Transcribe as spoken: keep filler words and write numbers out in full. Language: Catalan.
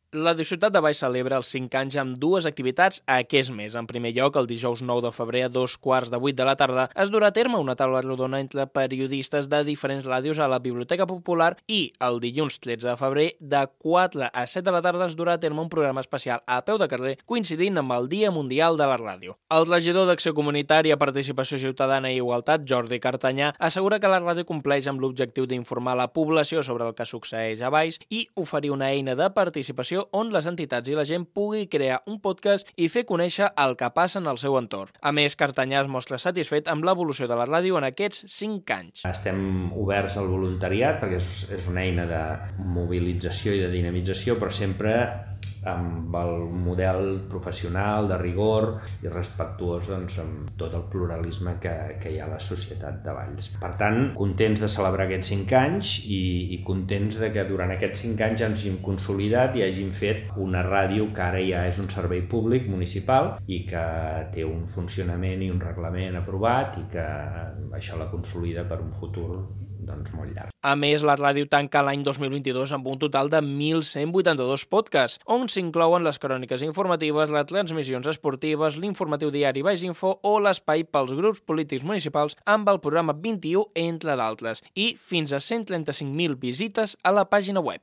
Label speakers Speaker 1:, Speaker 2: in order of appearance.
Speaker 1: Ràdio Ciutat de Baix celebra els cinc anys amb dues activitats aquest mes. En primer lloc, el dijous nou de febrer a dos quarts de vuit de la tarda es durà a terme una taula rodona entre periodistes de diferents ràdios a la Biblioteca Popular i el dilluns tretze de febrer de quatre a set de la tarda es durà a terme un programa especial a peu de carrer coincidint amb el Dia Mundial de la Ràdio. El regidor d'Acció Comunitària, Participació Ciutadana i Igualtat, Jordi Cartanyà, assegura que la ràdio compleix amb l'objectiu d'informar la població sobre el que succeeix a Baix i oferir una eina de participació on les entitats i la gent pugui crear un podcast i fer conèixer el que passa en el seu entorn. A més, Cartanyà es mostra satisfet amb l'evolució de la ràdio en aquests cinc anys.
Speaker 2: Estem oberts al voluntariat perquè és, és una eina de mobilització i de dinamització, però sempre amb el model professional, de rigor i respectuós doncs, amb tot el pluralisme que, que hi ha a la societat de Valls. Per tant, contents de celebrar aquests cinc anys i, i contents de que durant aquests cinc anys ens hàgim consolidat i hàgim fet una ràdio que ara ja és un servei públic municipal i que té un funcionament i un reglament aprovat i que això la consolida per un futur doncs, molt llarg.
Speaker 1: A més, la ràdio tanca l'any dos mil vint-i-dos amb un total de mil cent vuitanta-dos podcasts, on s'inclouen les cròniques informatives, les transmissions esportives, l'informatiu diari Baix Info o l'espai pels grups polítics municipals amb el programa vint-i-u, entre d'altres, i fins a cent trenta-cinc mil visites a la pàgina web.